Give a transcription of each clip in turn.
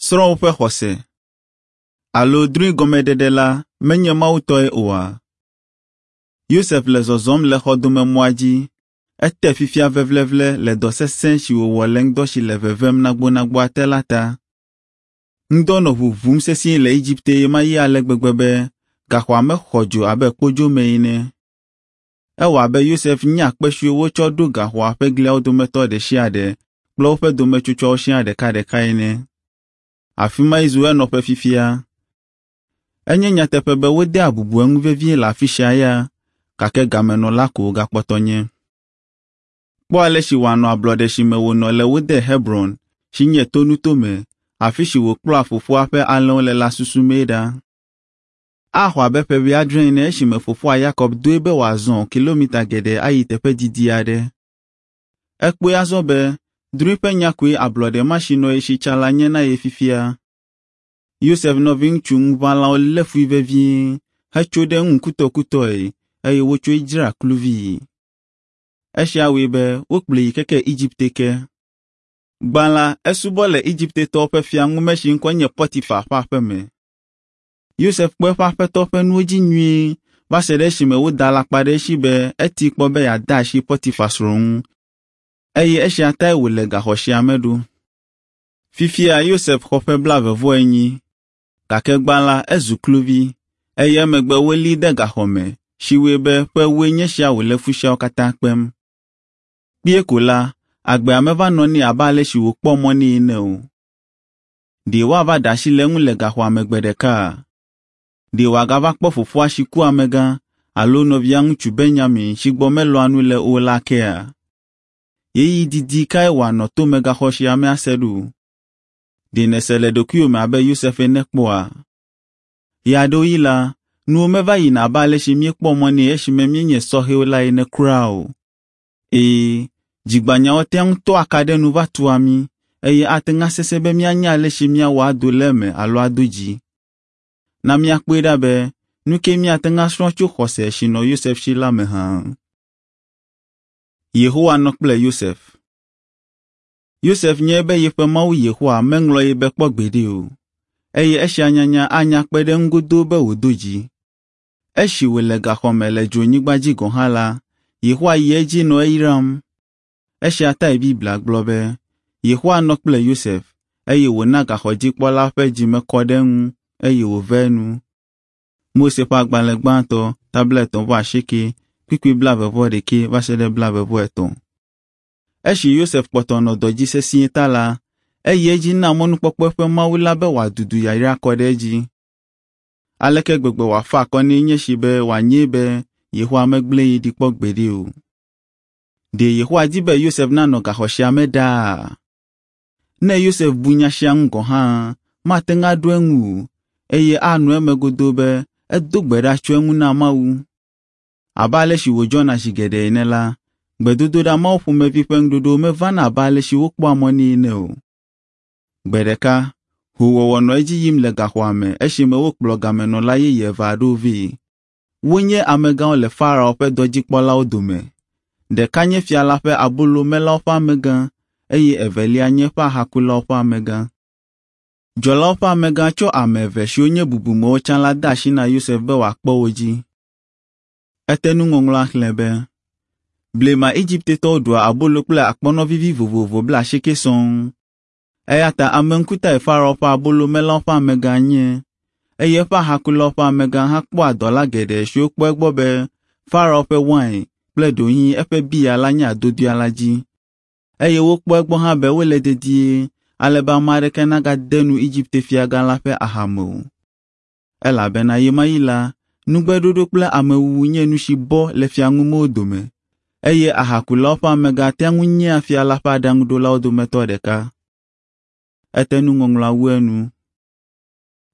Srɔ̃ woƒe xɔse. Alo drɔ̃e gɔmeɖeɖe la menye Mawu tɔe oa? Yosef le zɔzɔm le xɔdomemɔa dzi. Ete fifia vevlevle le dɔ sesẽ si wòwɔ le ŋdɔ si le vevem nagbonagboa te la ta. Ŋdɔ nɔ ʋuʋum sesĩe le Egipte ɣemaɣi ale gbegbe be gaxɔa me xɔ dzo abe kpodzo me ene. Ewɔ abe Yosef nya kpe siwo wotsɔ ɖo gaxɔa ƒe gliawo dometɔ ɖe sia ɖe kple woƒe dometsotsoawo siaa ɖekaɖeka ene. Afi mae zu enɔƒe fifia. Enye nyateƒe be wodea bubu eŋu vevie le afi sia ya, gake gamenɔla ko wògakpɔtɔ nye. Kpɔ ale si wòanɔ ablɔɖe si me wònɔ le wo de Hebron, si nye tonutome, afi si wòkplɔa fofoa ƒe alẽwo le la susumee ɖa. Axɔ abe ƒe wuiadre ene esime fofoa Yakob doe be wòazɔ kilometa geɖe ayi teƒe didi aɖe. Ekpɔe azɔ be drɔ̃e ƒe nya koe ablɔɖe ma si nɔ ye si tsã la nye na ye fifia. Yosef nɔviŋutsu ŋuʋãlawo lé fui vevie hetso ɖe eŋu kutɔkutɔe eye wotsɔe dzra kluvii. Esia wɔe be wokplɔe yi keke Egipte ke. Gbã la, esubɔ le Egiptetɔwo ƒe fiaŋume si ŋkɔe nye Potifar ƒe aƒe me. Yosef kpɔ eƒe aƒetɔ ƒe nuwo dzi nyuie va se ɖe esime woda alakpa ɖe esi be eti kpɔ be yeade asi Potifar srɔ̃ ŋu eye esia tae wòle gaxɔ sia me ɖo. Fifia Yosef xɔ ƒe 49, gake gbã la ezu kluvi eye emegbe wolée de gaxɔ me si wɔe be ƒe ewoe nye sia wòle fu siawo katã kpem. Kpuie ko la, agbea meva nɔ nɛ abe ale si wòkpɔ mɔ nɛ ene o. Ɖe woava ɖe asi le eŋu le gaxɔa me gbe ɖeka? Ɖe wòagava kpɔ fofoa si ku amegã alo nɔvia ŋutsu Benyamin si gbɔ melɔ̃a nu le o la akea? Ɣeyiɣi didi kae wòanɔ tomegaxɔ sia me ase ɖo? Ɖe nèse le ɖokuiwò me abe Yosef ene kpɔa? Ɣeaɖewoɣi la, nuwo meva yina abe ale si míekpɔ mɔ nɛ esime míenye sɔhɛwo la ene kura o. Ee, dzigbãnyawo tea ŋu tɔa ka ɖe nu va tua mí eye ate ŋu asesẽ be míanya ale si míawɔ ado le eme alo ado dzi. Na míakpɔe ɖa be nu kae míate ŋu asrɔ̃ tso xɔse si nɔ Yosef si la me hã. Yehowa nɔ kple Yosef. Yosef nyae be yeƒe Mawu Yehowa meŋlɔ ye be kpɔ gbeɖe o, eye esia nyanya anya kpe ɖe eŋu godoo be wòdo dzi. Esi wòle gaxɔ me le dzronyigba dzi gɔ̃ hã la, Yehowa yi edzi nɔ eyram. Esia tae Biblia gblɔ be, Yehowa nɔ kple Yosef, eye wòna gaxɔdzikpɔla ƒe dzime kɔ ɖe eŋu eye wòve enu. Mose ƒe agbalẽ gbãtɔ, ta 38, kpukpui 21 va se ɖe 23. Esi Yosef kpɔtɔ nɔ dɔ dzi sesĩe ta la, eyi edzi na mɔnukpɔkpɔ eƒe Mawu la be wòadudu yayra kɔ ɖe edzi. Aleke gbegbe wòafa akɔ nɛ nye esi be wòanyae be Yehowa megblẽ ye ɖi kpɔ gbeɖe o. Ɖe Yehowa di be Yosef nanɔ gaxɔ sia me ɖaa? Ne Yosef bu nya sia ŋu gɔ̃ hã, mate ŋu aɖo eŋu o, eye anɔ eme godoo be edo gbe ɖa tso eŋu na Mawu. Abe ale si wòdzɔna zi geɖe ene la, gbedodoɖa mawo ƒomevi ƒe ŋuɖoɖowo mevana abe ale si wokpɔa mɔ nɛ ene o. Gbe ɖeka, hoowɔwɔ nɔ edzi yim le gaxɔa me esime wokplɔ gamenɔla yeye eve aɖewo vɛ. Wonye amegãwo le Farao ƒe dɔdzikpɔlawo dome. Ɖeka nye fia la ƒe abolomelawo ƒe amegã eye evelia nye eƒe ahakulawo ƒe amegã. Dzɔlawo ƒe amegã tsɔ ame eve siwo nye bubumewo tsã la de asi na Yosef be wòakpɔ wo dzi. Ete nuŋɔŋlɔa xlẽ be, Blema Egiptetɔwo ɖua abolo kple akpɔnɔ vivi vovovo 80 sɔŋ. Eya ta ame ŋkutae Farao ƒe abolomelawo ƒe amegã nye, eye eƒe ahakulawo ƒe amegã hã kpɔa dɔla geɖe siwo kpɔ egbɔ be Farao ƒe wain kple ɖewohĩ eƒe biya la nye adodoea la dzi. Eye wokpɔ egbɔ hã be wole dedie ale be ame aɖeke nagade nu Egipte fiagã la ƒe aha me o. Elabena ɣemaɣi la, nugbeɖoɖo kple amewuwu nye nu si bɔ le fiaŋumewo dome, eye ahakulawo ƒe amegã tea ŋu nyea fia la ƒe aɖaŋuɖolawo dometɔ ɖeka. Ete nuŋɔŋlɔa wu enu.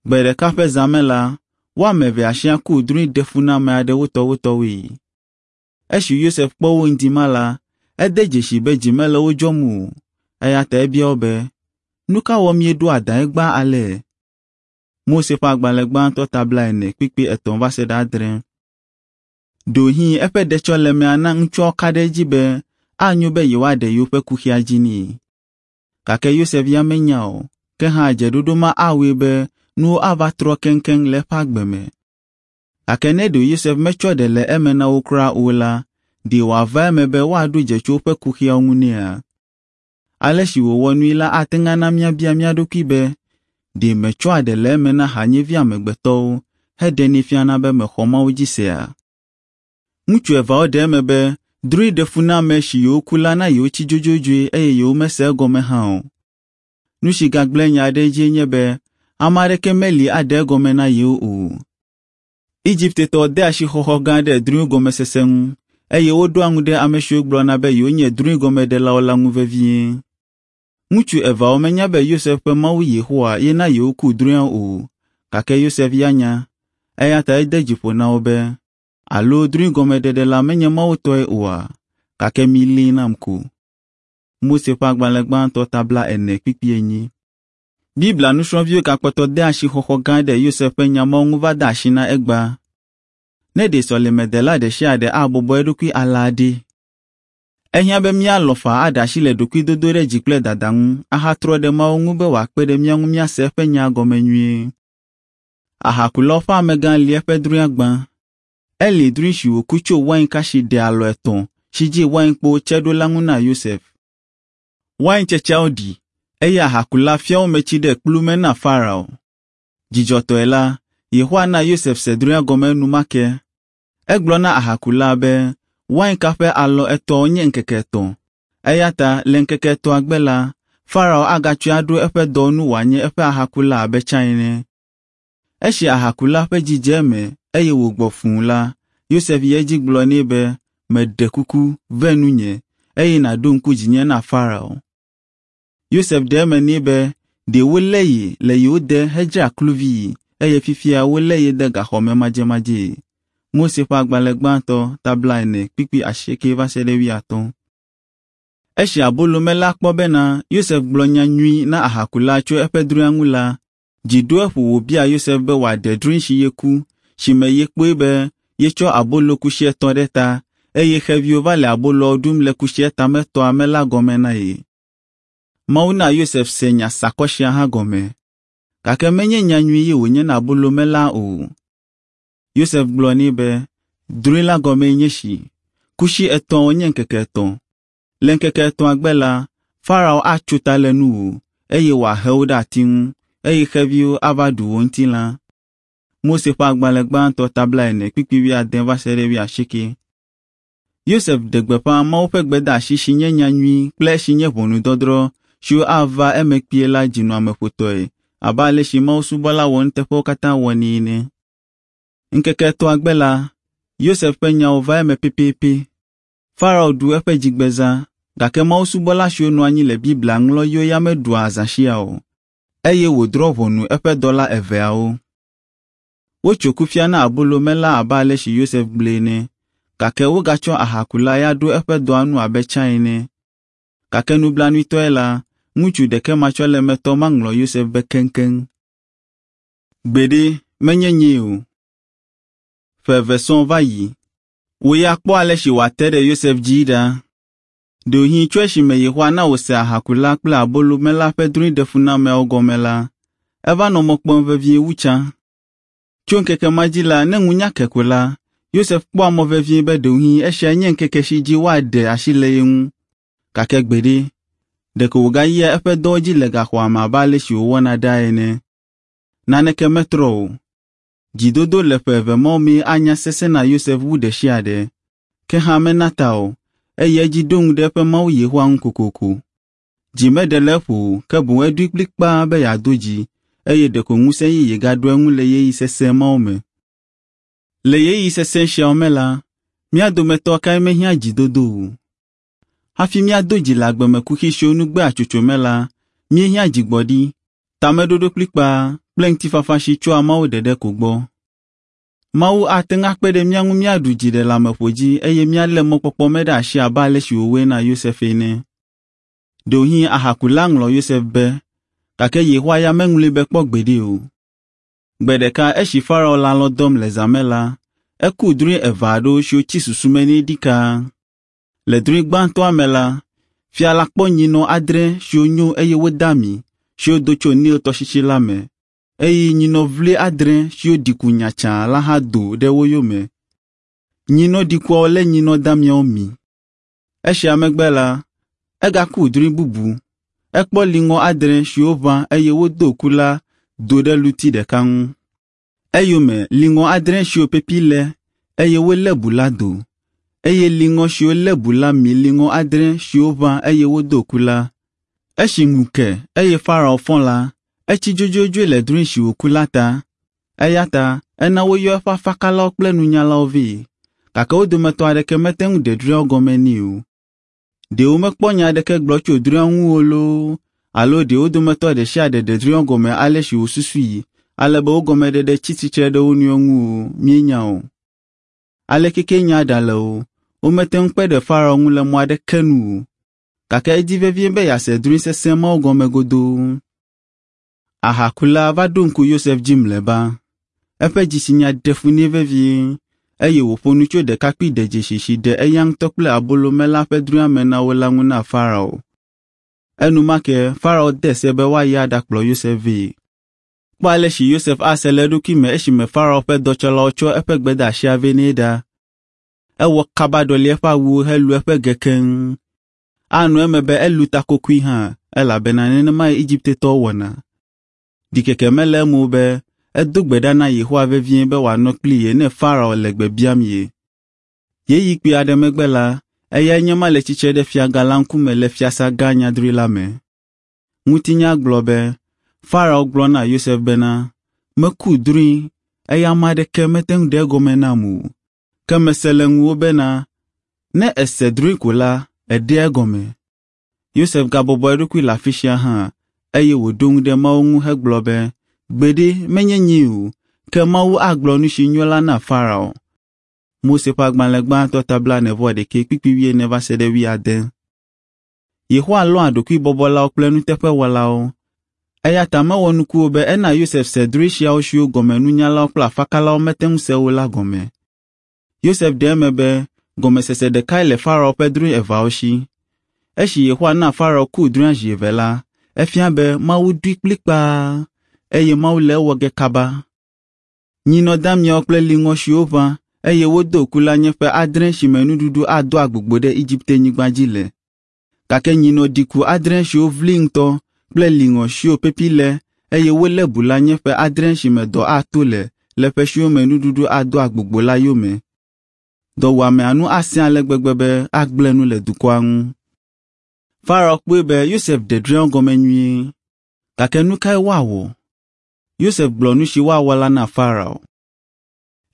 Gbe ɖeka ƒe zã me la, wo ame evea siaa ku drɔ̃e ɖefuname aɖe wotɔwotɔwoe. Esi Yosef kpɔ wo ŋdi ma la, ede dzesii be dzi mele wo dzɔm o, eya ta ebia wo be, “Nu ka wɔ mieɖo adã egbea ale?” Mose ƒe agbalẽ gbãtɔ ta 40 kpukpui 3 va se ɖe 6. Ɖewohĩ eƒe ɖetsɔlemea na ŋutsuawo ka ɖe edzi be anyo be yewoaɖe yewoƒe kuxia dzi nɛ. Gake Yosef ya menya o, Ke hã dzeɖoɖo ma awɔe be nuwo ava trɔ keŋkeŋ le eƒe agbe me. Gake ne ɖe Yosef metsɔ ɖe le eme na wo kura o la, ɖe wòava eme be woaɖo dze tso woƒe kuxiawo ŋu nɛa? Ale si wòwɔ nui la ate ŋu ana míabia mía ɖokui be, ɖe metsɔa ɖe le eme na hanyevi amegbetɔwo heɖenɛ fiana be mexɔ Mawu dzi sea? Ŋutsu eveawo ɖe eme be drɔ̃e ɖefuname si yewoku la na yewotsi dzodzodzoe eye yewomese egɔme hã o. Nu si gagblẽ nya ɖe edzie nye be ame aɖeke meli aɖe egɔme na yewo o. Egiptetɔwo de asixɔxɔ gã ɖe drɔ̃e gɔmesese ŋu eye woɖoa ŋu ɖe ame siwo gblɔna be yewonye drɔ̃e gɔmeɖelawo la ŋu vevie. Ŋutsu eveawo menya be Yosef ƒe Mawu Yehowa ye na yewoku drɔ̃eawo o, gake Yosef ya nya, eya ta ede dzi ƒo na wo be, “Alo drɔ̃e gɔmeɖeɖe la menye Mawu tɔe oa? Gake milée nam ko.” Mose ƒe agbalẽ gbãtɔ ta 40 kpukpui 4. Biblia nusrɔ̃viwo gakpɔtɔ de asixɔxɔ gã ɖe Yosef ƒe nya mawo ŋu va de asi na egbea. Ne ɖe sɔlemedela ɖe sia ɖe abɔbɔ eɖokui alea ɖe, ehiã be míalɔ̃ faa aɖe asi le ɖokuidodo ɖe dzi kple dada ŋu ahatrɔ ɖe Mawu ŋu be wòakpe ɖe mía ŋu míase eƒe nya gɔme nyuie. Ahakulawo ƒe amegã li eƒe drɔ̃ea gbã. Eli drɔ̃e si wòku tso wainka si ɖe alɔ etɔ̃ si dzi wainkpowo tse ɖo la ŋu na Yosef. Waintsetseawo ɖi eye ahakula fia wo me tsi ɖe kplu me na Farao. Dzidzɔtɔe la, Yehowa na Yosef se drɔ̃ea gɔme enumake. Egblɔ na ahakula be wainka ƒe alɔ etɔ̃awo nye ŋkeke etɔ̃. Eya ta le ŋkeke etɔ̃a gbe la, Farao agatsɔe aɖo eƒe dɔ nu wòanye eƒe ahakula abe tsã ene. Esi ahakula ƒe dzi dze eme eye wògbɔ fũu la, Yosef yi edzi gblɔ nɛ be, “Meɖe kuku, ve nunye, eye nàɖo ŋku dzinye na Farao.” Yosef ɖe eme nɛ be ɖe wolé ye le yewo de hedzra kluvii eye fifia wolé ye de gaxɔ me madzemadzee. Mose ƒe agbalẽ gbãtɔ ta 40 kpukpui 8 va se ɖe 80. Esi abolomela kpɔ bena Yosef gblɔ nya nyui na ahakula tso eƒe drɔ̃ea ŋu la, dzi ɖo eƒo wòbia Yosef be wòaɖe drɔ̃e si yeku, si me yekpɔe be yetsɔ abolo kusi etɔ̃ ɖe ta eye xeviwo va le aboloawo ɖum le kusia tametɔa me la gɔme na ye. Mawu na Yosef se nya sakɔ sia hã gɔme, gake menye nya nyui ye wònye na abolomela o. Yosef gblɔ nɛ be, “Drɔ̃e la gɔmee nye si. Kusi etɔ̃awo nye ŋkeke etɔ̃. Le ŋkeke etɔ̃a gbe la, Farao atso ta le nuwò, eye wòahe wò ɖe ati ŋu, eye xeviwo ava ɖu wò ŋutilã.” Mose ƒe agbalẽ gbãtɔ ta 40 kpukpui 70 va se ɖe 80. Yosef ɖe gbeƒã Mawu ƒe gbedeasi si nye nya nyui kple esi nye ʋɔnudɔdrɔ̃ siwo ava eme kpuie la dzinɔameƒotɔe abe ale si Mawu subɔla wɔnuteƒewo katã wɔnɛ ene. Ŋkeke etɔ̃a gbe la, Yosef ƒe nyawo va eme pɛpɛpɛ. Farao ɖu eƒe dzigbezã, gake Mawu subɔla siwo nɔ anyi le Biblia ŋlɔɣiwo ya meɖua azã sia o, eye wòdrɔ̃ ʋɔnu eƒe dɔla eveawo. Wotso kufia na abolomela abe ale si Yosef gblɔe ene, gake wogatsɔ ahakula ya ɖo eƒe dɔa nu abe tsã ene. Gake nublanuitɔe la, ŋutsu ɖekematsɔlemetɔ ma ŋlɔ Yosef be keŋkeŋ. Gbeɖe, menye nyee o. Ƒe eve sɔŋ va yi. Wò ya kpɔ ale si wòate ɖe Yosef dzii ɖa. Ɖewohĩ tso esime Yehowa na wòse ahakula kple abolomela ƒe drɔ̃e ɖefunameawo gɔme la, eva nɔ mɔ kpɔm vevie wu tsã. Tso ŋkeke ma dzi la, ne ŋu nya ke ko la, Yosef kpɔa mɔ vevie be ɖewohĩ esiae nye ŋkeke si dzi woaɖe asi le ye ŋu. Gake gbeɖe, ɖeko wògayia eƒe dɔwo dzi le gaxɔa me abe ale si wòwɔna ɖaa ene. Naneke metrɔ o. Dzidodo le ƒe eve mawo mee anya sesẽ na Yosef wu ɖe sia ɖe. Ke hã mena ta o, eye edzi ɖo ŋu ɖe eƒe Mawu Yehowa ŋu kokoko. Dzi meɖe le eƒo o, ke boŋ eɖoe kplikpaa be yeado dzi, eye ɖeko ŋusẽ yeye gaɖo eŋu le ɣeyiɣi sesẽ mawo me. Le ɣeyiɣi sesẽ siawo me la, mía dometɔ kae mehiã dzidodo o? Hafi míado dzi le agbemekuxi siwo nu gbea tsotso me la, míehiã dzigbɔɖi, tameɖoɖo kplikpaa kple ŋutifafa si tsoa Mawu ɖeɖe ko gbɔ. Mawu ate ŋu akpe ɖe mía ŋu míaɖu dziɖeleameƒo dzi eye míalé mɔkpɔkpɔ me ɖe asi abe ale si wòwɔe na Yosef ene. Ɖewohĩ ahakula ŋlɔ Yosef be, gake Yehowa ya meŋlɔe be kpɔ gbeɖe o. Gbe ɖeka esi Farao le alɔ̃ dɔm le zã me la, eku drɔ̃e eve aɖewo siwo tsi susu me nɛ ɖikaa. Le drɔ̃e gbãtɔa me la, fia la kpɔ nyinɔ adre siwo nyo eye wode ami, siwo do tso Nil tɔsisi la me eye nyinɔ vli adre siwo ɖi ku nyatsã la hã do ɖe wo yome. Nyinɔ ɖikuawo lé nyinɔ damiawo mi. Esia megbe la, egaku drɔ̃e bubu. Ekpɔ liŋɔ adre siwo ʋã eye wodo ku la do ɖe luti ɖeka ŋu. Eyome liŋɔ adre siwo pepi lé eye wolé bu la do eye liŋɔ siwo lé bu la mi liŋɔ adre siwo ʋã eye wodo ku la. Esi ŋu ke eye Farao fɔ la, etsi dzodzodzoe le drɔ̃e si wòku la ta. Eya ta ena woyɔ eƒe afakalawo kple nunyalawo vɛ, gake wo dometɔ aɖeke mete ŋu ɖe drɔ̃eawo gɔme nɛ o. Ɖe womekpɔ nya aɖeke gblɔ tso drɔ̃eawo ŋu o loo, alo ɖe wo dometɔ ɖe sia ɖe ɖe drɔ̃eawo gɔme ale si wòsusui ale be wo gɔmeɖeɖe tsi tsitre ɖe wo nɔewo ŋu o, míenya o. Aleke ke nya ɖale o, womete ŋu kpe ɖe Farao ŋu le mɔ aɖeke nu o, gake edi vevie be yease drɔ̃e sesẽ mawo gɔme godoo. Ahakula va ɖo ŋku Yosef dzi mlɔeba. Eƒe dzitsinya ɖe fu nɛ vevie eye wòƒo nu tso ɖekakpui ɖedzesi si ɖe eya ŋutɔ kple abolomela ƒe drɔ̃ea me na wo la ŋu na Farao. Enumake Farao de se be woayi aɖakplɔ Yosef vɛ. Kpɔ ale si Yosef ase le eɖokui me esime Farao ƒe dɔtsɔlawo tsɔ eƒe gbedeasia vɛ nɛ ɖa. Ewɔ kaba ɖɔli eƒe awuwo helu eƒe ge keŋ. Anɔ eme be elu takokoe hã elabena nenemae Egiptetɔwo wɔna. Ɖikeke mele eme o be edo gbe ɖa na Yehowa vevie be wòanɔ kpli ye ne Farao le gbe biam ye. Ɣeyiɣi kpui aɖe megbe la, eyae nye ema le tsitre ɖe fiagã la ŋkume le fiasã gã nyadri la me. Ŋutinya gblɔ be Farao gblɔ na Yosef bena, “Meku drɔ̃e eye ame aɖeke mete ŋu ɖe egɔme nam o. Ke mese le ŋuwò bena ne èse drɔ̃e ko la, èɖea egɔme.” Yosef gabɔbɔ eɖokui le afi sia hã eye wòɖo ŋu ɖe Mawu ŋu hegblɔ be, “Gbeɖe, menye nyee o, ke Mawu agblɔ nu si nyo la na Farao.” Mose ƒe agbalẽ gbãtɔ ta blaene-vɔ-ɖekɛ kpukpui wuiene va se ɖe wuiade. Yehowa lɔ̃a ɖokuibɔbɔlawo kple nuteƒewɔlawo. Eya ta mewɔ nuku o be ena Yosef se drɔ̃e siawo siwo gɔme nunyalawo kple afakalawo mete ŋu se o la gɔme. Yosef ɖe eme be gɔmesese ɖekae le Farao ƒe drɔ̃e eveawo si. Esi Yehowa na Farao ku drɔ̃ea zi eve la, efia be Mawu ɖoe kplikpaa eye Mawu le ewɔ ge kaba. Nyinɔ damiawo kple liŋɔ siwo ʋã eye wodo ku la nye ƒe adre si me nuɖuɖu ado agbogbo ɖe Egipte-nyigba dzi le. Gake nyinɔ ɖiku adre siwo vli ŋutɔ kple liŋɔ siwo pepi lé eye wolé bu la nye ƒe adre si me dɔ ato le le ƒe siwo me nuɖuɖu ado agbogbo la yome. Dɔwuamea nu asẽ ale gbegbe be agblẽ nu le dukɔa ŋu. Farao kpɔe be Yosef ɖe drɔ̃eawo gɔme nyuie. Gake nu kae woawɔ? Yosef gblɔ nu si woawɔ la na Farao.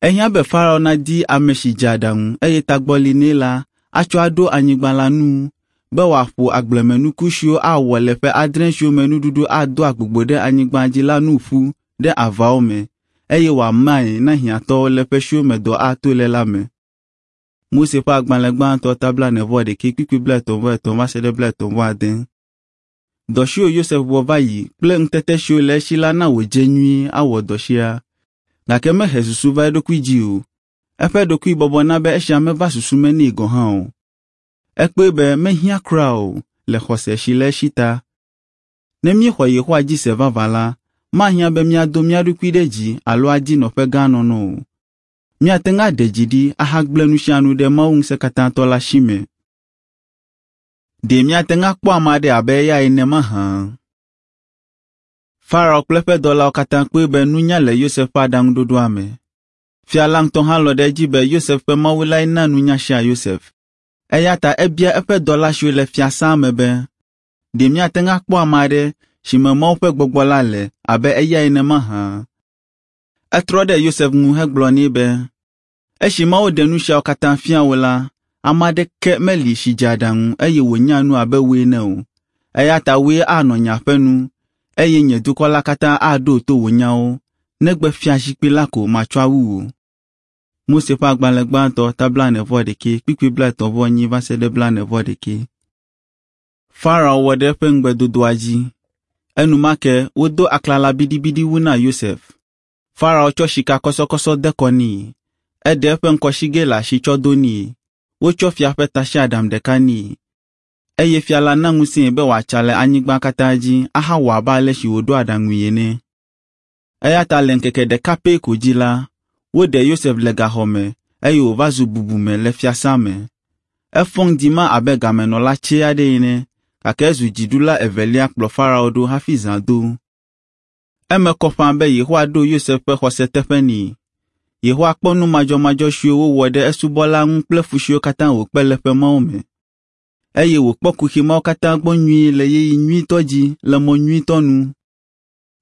Ehiã be Farao nadi ame si dze aɖaŋu eye tagbɔ li nɛ la atsɔ aɖo anyigba la nu be wòaƒo agblemenuku siwo awɔ le ƒe adre siwo me nuɖuɖu ado agbogbo ɖe anyigba dzi la nu ƒu ɖe avawo me eye wòamae na hiãtɔwo le ƒe siwo me dɔ ato le la me. Mose ƒe agbalẽ gbãtɔ ta blaene-vɔ-ɖekɛ kpukpui blaetɔ̃-vɔ-etɔ̃ va se ɖe blaetɔ̃-vɔ-ade. Dɔ siwo Yosef wɔ va yi kple ŋutete siwo le esi la na wòdze nyuie awɔ dɔ sia. Gake mehe susu va eɖokui dzi o. Eƒe ɖokuibɔbɔ na be esia meva susu me nɛ gɔ̃ hã o. Ekpɔe be mehiã kura o le xɔse si le esi ta. Ne míexɔ Yehowa dzi se vavã la, mahiã be míado mía ɖokui ɖe dzi alo adi nɔƒe gã nɔnɔ o. Míate ŋu aɖe dzi ɖi ahagblẽ nu sia nu ɖe Mawu Ŋusẽkatãtɔ la si me. Ɖe míate ŋu akpɔ ame aɖe abe eya ene mahã? Farao kple eƒe dɔlawo katã kpɔe be nunya le Yosef ƒe aɖaŋuɖoɖoa me. Fia la ŋutɔ hã lɔ̃ ɖe edzi be Yosef ƒe Mawu lae na nunya sia Yosef. Eya ta ebia eƒe dɔla siwo le fiasã me be, “Ɖe míate ŋu akpɔ ame aɖe si me Mawu ƒe gbɔgbɔ la le abe eya ene mahã?” Etrɔ ɖe Yosef ŋu hegblɔ nɛ be, “Esi Mawu ɖe nu siawo katã fia wò la, ame aɖeke meli si dze aɖaŋu eye wònya nu abe wò ene o. Eya ta wòe anɔ nye aƒe nu, eye nye dukɔ la katã aɖo to wò nyawo, negbe fiazikpui la ko matsɔ awu wò.” Mose ƒe agbalẽ gbãtɔ ta blaene-vɔ-ɖekɛ kpukpui blaetɔ̃-vɔ-enyi va se ɖe blaene-vɔ-ɖekɛ. Farao wɔ ɖe eƒe ŋugbedodoa dzi. Enumake wodo aklala biɖibiɖi wu na Yosef. Farao tsɔ sikakɔsɔkɔsɔ de kɔ nɛ. Eɖe eƒe ŋkɔsigɛ le asi tsɔ do nɛ. Wotsɔ fia ƒe tasiaɖam ɖeka nɛ. Eye fia la na ŋusẽe be wòatsa le anyigba katã dzi ahawɔ abe ale si wòɖo aɖaŋui ene. Eya ta le ŋkeke ɖeka pɛ ko dzi la, woɖe Yosef le gaxɔ me eye wòva zu bubume le fiasã me. Efɔ ŋdi ma abe gamenɔla tsɛ aɖe ene, gake ezu dziɖula evelia kplɔ Farao ɖo hafi zã do. Eme kɔ ƒãa be Yehowa ɖo Yosef ƒe xɔse teƒe nɛ. Yehowa kpɔ nu madzɔmadzɔ siwo wowɔ ɖe esubɔla ŋu kple fu siwo katã wòkpe le ƒe mawo me. Eye wòkpɔ kuxi mawo katã gbɔ nyuie le ɣeyiɣi nyuitɔ dzi le mɔ nyuitɔ nu.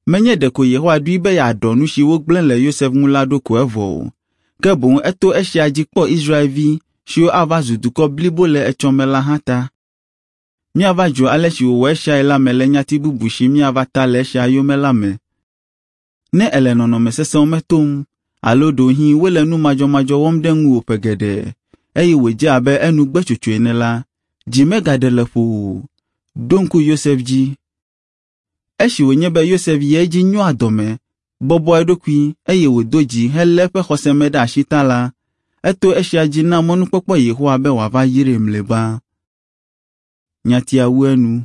Menye ɖeko Yehowa ɖoe be yeaɖɔ nu si wogblẽ le Yosef ŋu la ɖo ko evɔ o, ke boŋ eto esia dzi kpɔ Israelvi siwo ava zu dukɔ blibo le etsɔme la hã ta. Míava dzro ale si wòwɔ esiae la me le nyati bubu si míava ta le esia yome la me. Ne èle nɔnɔme sesẽwo me tom alo ɖewohĩ wole nu madzɔmadzɔ wɔm ɖe ŋuwò ƒe geɖe eye wòdze abe enu gbe tsotso ene la, dzi megaɖe le ƒowò o. Ɖo ŋku Yosef dzi. Esi wònye be Yosef yi edzi nyoa dɔme, bɔbɔa eɖokui eye wòdo dzi helé eƒe xɔse me ɖe asi ta la, eto esia dzi na mɔnukpɔkpɔ Yehowa be wòava yrae mlɔeba. Nyatia wu enu.